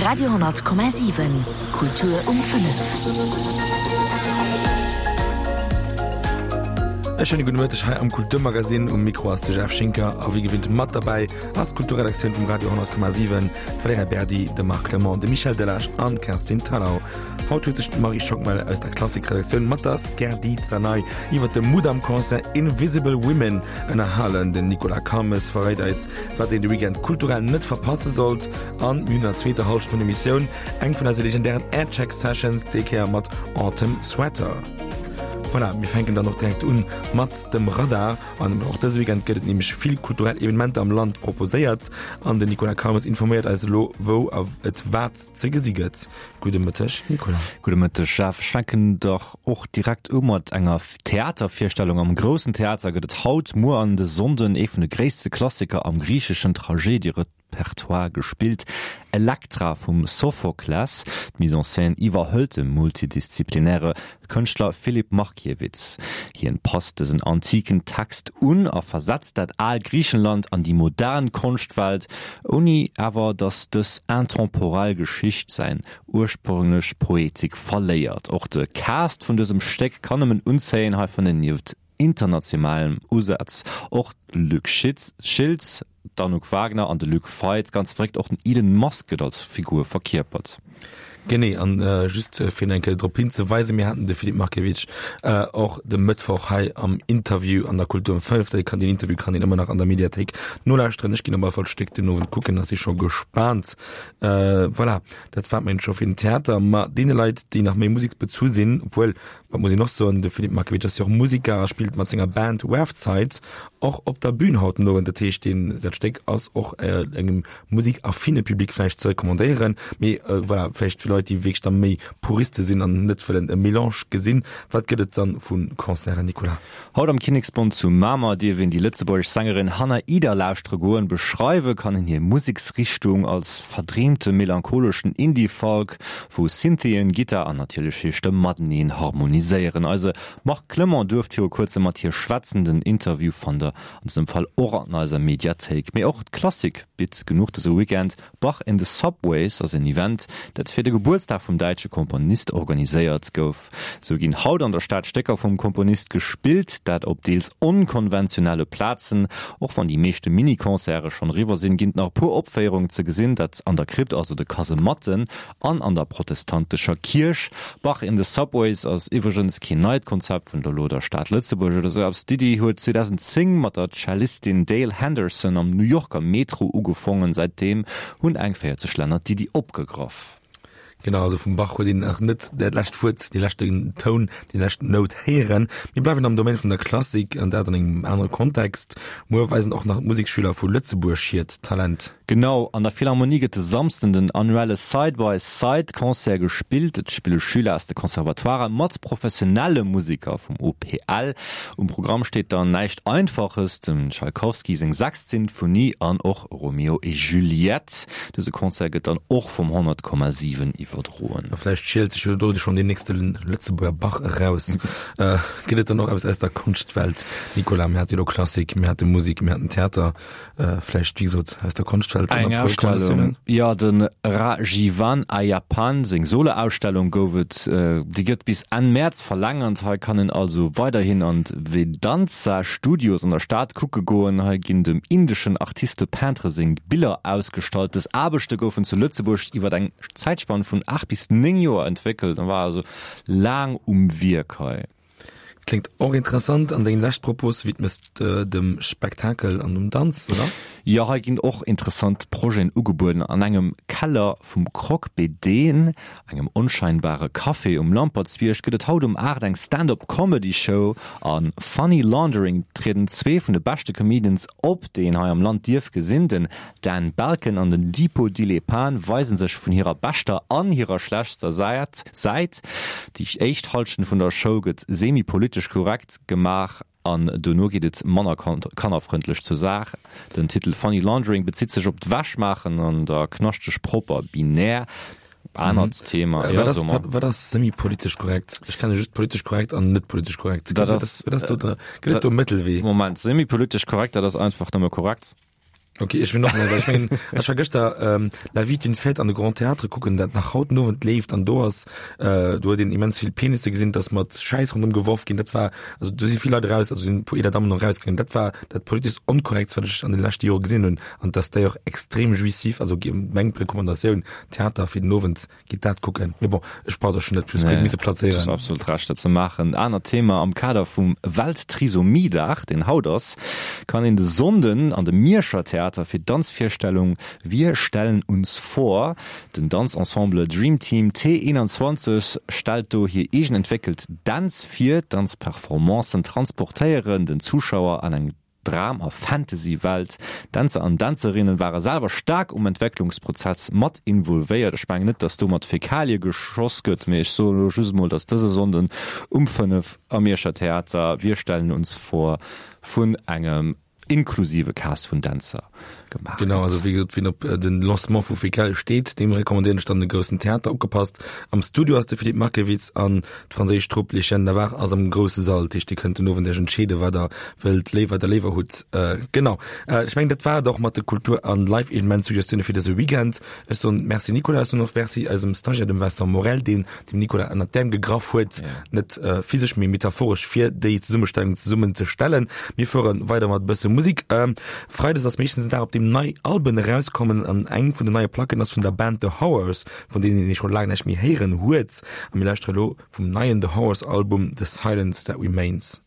Radio,7 Kultur um 5. E schéine gudde Mëtteg hei am Kulturmagazin. Um Mikro ass de Jeff Schinker a wéi gewinnt mat derbäi ass d'Kulturredaktioun vum Radio 10,7, d'Valerija Berdi, de Marc Clement, de Michel Delage an d'Kerstin Thalau. Haut huet sech d'Marie Schockmel aus der Klassikredaktioun mat der Skerdi Zanay iwwer de Mudam-Concert Invisible Women ënnerhalen. Den Nicolas Calmes verréit eis, wat een de Weekend kulturell net verpasse sollt. An mir hunn an der zweeter Hallschent vun der Emissioun eng vun eise legendären Aircheck Sessions, déi Kéier mat Autumn Sweater. Voilà, mir fänken dann och direkt un mat dem Radar. An och dëse Weekend gëtt et nämlech vill kulturell Evenementer am Land proposéiert. An den Nicolas Calmes informéiert eis elo, wou a et wat ze gesi gëtt. Gudde Mëtteg, Nicolas. Gudde Mëtteg, Jeff. Ech fänken dach och direkt u mat enger Theatervirstellung. Am Groussen Theater gëtt et haut, muer an de Sonnden ee vun de gréisste Klassiker am griicheschen Tragédierepertoire gespillt, Elektra vum Sophokles. D'Mise en scène iwwerhëlt de multidisziplinäre Kënschtler Filip Markiewicz. Hien passt dësen antiken Text un a versetzt dat al Griichenland an déi modern Konschtwelt, ouni awer datt dës intemporell Geschicht säin ursprünglech Poetik verléiert. Och de Cast vun dësem Stéck kann nëmmen unzéien, hei fannen nieft internationalem Usaz och Luc Schiltz, D'Anouk Wagner an de Luc Feit, ganz verréckt, och den Elon Musk gëtt als Figur verkierpert. Genee, an just fir eng Kéier drop hinzeweisen, mir haten de Filip Markiewicz och de Mëttwoch hei am Interview an der Kultur um 5. Dee kann, deen Interview kann een ëmmer nach an der Mediathéik nolauschteren. Ech ginn op alle Fall d'Stéck den Owend kucken a si scho gespaant. Voilà, dat war et scho fir den Theater. Ma deene Leit, déi nach méi museksbezu sinn, obwuel, Wat muss een och soen, de Filip Markiewicz ass jo och Musiker a spillt mat senger Band Werfzeit och op der Bühn haut den Owend. Dat heescht, deen, dat Stéck ass och engem musikaffine Public vläicht ze recommandéieren. Mee voilà, vläicht fir Leit, déi wierklech da méi Puriste sinn an net wëllen e Melange gesinn. Wat gëtt et dann vu Concerten, Nicolas? Haut am Kinneksbond zu Mamer dierf een déi lëtzebuergesch Sängerin Hannah Ida lauschtere goen. Beschreiwe kann een hir Museksrichtung als verdreemte melancholeschen Indie-Folk, wou Synthien, Gittar an natierlech hir Stëmm mateneen harmoniséieren. Eise Marc Clement duerft viru kuerzem mat hir schwätzen. Den Interview fannt der an dësem Fall och an eiser Mediathéik. Mee och d'Klassik bitt genuch dëse Weekend. Bach in the Subways ass en Event, dat fir de Gebuertsdag vum däitsche Komponist organiséiert gouf. Sou ginn haut an der Stad Stécker vum Komponist gespillt, dat op deels onkonventionelle Plazen. Och wann déi meeschte Mini-Concerte schonn eriwwer sinn, ginn et nach e puer Opféierungen ze gesinn, dat an der Krypt, also de Kasematten, an an der protestantescher Kierch. Bach in the Subways ass iwwregens keen neit Konzept vun der elo der Stad Lëtzebuerg oder sou eppes. D'Iddi huet 2010 mat der Cellistin Dale Henderson am New Yorker Metro ugefongen. Säitdeem hunn eng 40 Länner d'Iddi opgegraff. Genau, also vum Bach huet een nach net dat lescht Wuert, dee leschten Toun, déi lescht Nout héieren. Mir bleiwen am Domaine vun der Klassik, an dat an engem anere Kontext. Muer weisen och nach d'Museksschüler vu Lëtzebuerg hiert Talent. Genau, an der Philharmonie gëtt de Samsden den annuelle Side by Side Concert gespillt. Et spille Schüler aus de Conservatoiren mat professionelle Museker vum OPL. Um Programm steet dann näischt Einfaches, dem Tschaikowski seng sechst Sinfonie an och Romeo et Juliette. Dëse Concert gëtt dann och vum 100,7 iwwerdroen. A vläicht schielt sech jo do schonn deen nächste Lëtzebuerger Bach eraus. Gëtt et dann och eppes aus der Konschtwelt, Nicolas? Mir hate jo elo Klassik, mir hate Musek, mir haten Theater. Vläicht, wéi gesot, aus der Konschtwelt Eng Ausstellung, jo, de Rajivan Ayyappan seng Solo-Ausstellung gouf et, déi gëtt bis Enn Mäerz verlängert. Hei kann een also weiderhin an d'Vedanta Studios an der Stad kucke goen. Hei ginn dem indeschen Artiste peintre seng Biller ausgestallt. Dës Aarbechte goufen zu Lëtzebuerg iwwer eng Zäitspann vun 8 bis 9 Joer entwéckelt an war also laang um Wierk hei. Kléngt och interessant. An deng lescht Propos widmes de dem Spektakel an dem Danz, oder? Jo, hei ginn och interessant Projeten ugebueden. An engem Keller vum Croque Bedeen, engem onscheinbare Café um Lampertsbierg, gëtt et haut um 8 eng Stand-up Comedy Show. A Funny Laundering trieden zwee vun de beschte Comedians op, déi een hei am Land dierf gesinn. Den Dan Balkan an den Dipo Dilepan weisen sech vun hirer beschter an hirer schlechtster Säit. Déi éischt Halschent vun der Show gëtt semi-politesch korrekt gemaach an dono geet et manner kannerfrëndlech zur Saach. Den Titel Funny Laundering bezitt sech op d'Wäschmaachen an der knaschteg propper Binär. Anert Thema, jo, so mer. Wat ass semi-politesch korrekt? Ech kenne just politesch korrekt an net politesch korrekt. Dat ass, gëtt et do e Mëttelwee? Moment, semi-politesch korrekt, dat ass einfach nëmme korrekt. Ok, ech win och net, well ech mengen, ech war gëschter ähm, La vie est une fête an de Grand Théâtre kucken, dat nach haut den Owend leeft an do ass, äh, do huet een immens vill Penisse gesinn, dass mat Schäiss rondëm geworf ginn, dat war, also do si vill Leit eraus, also sinn e puer eeler Dammen och erausgaangen, dat war dat politeschst Onkorrektst, wat ech an de leschte Jore gesinn hunn an dass déi och extrem jouissif, also meng Recommandatioun, Theater fir den Owend, Gitt dat kucken. Mee bon, ech brauch der schon net plus misse plazéieren. Du hues absolut Recht dat ze maachen. Anert Thema, Am Kader vum Welttrisomietag, deen haut ass, kann een de Sonnden an de Mierscher Theater fir d'Danzvirstellung Wir stellen uns vor. Den Danzensemble Dream Team T 21 stellt do hir eegen entwéckelt Dänz vir. D'Danzperformancen transportéieren den Zuschauer an eng Dram a Fantasy-Welt. Dänzer an Dänzerinnen ware selwer staark um Entwécklungsprozess mat involvéiert. Ech mengen net, dass do mat Fäkalie geschoss gëtt, mee ech soen elo just emol, dass dëse Sonnden um 5 am Mierscher Theater Wir stellen uns vor vun engem inklusive Cast vun Dänzer gemaach gëtt. Genau, also wéi gesot, wien op den Lancement vu Fäkalie steet, deem recommandéieren ech dann de groussen Theater. Opgepasst, am Studio ass de Philippe Markiewicz an D'franséisch Trupp Les Chiens de Navarre ass am grousse Sall, dat heescht dir kënnt den Owend iech entscheeden, wat der wëllt, léiwer der léiwer hutt. Genau, ech mengen dat war et och mat de Kultur an Live-Evenement-Suggestioune fir dëse Weekend. Ech soen Merci Nicolas, ech soen och Merci eisem Stagiaire, dem Vincent Morel, deen dem Nicolas ënnert d'Äerm gegraff huet, net physesch, mee metaphoresch, fir déi Zesummestellung zesummen ze stellen. Mir fuere weider mat e bësse Musek. Freides ass meeschtens en Dag, op deem nei Alben erauskommen an eng vun den neie Placken ass vun der Band The Horrors. vun deenen ee scho laang näischt méi héieren huet. A mir lauschtere lo vum neien The Horrors Album The Silence That Remains.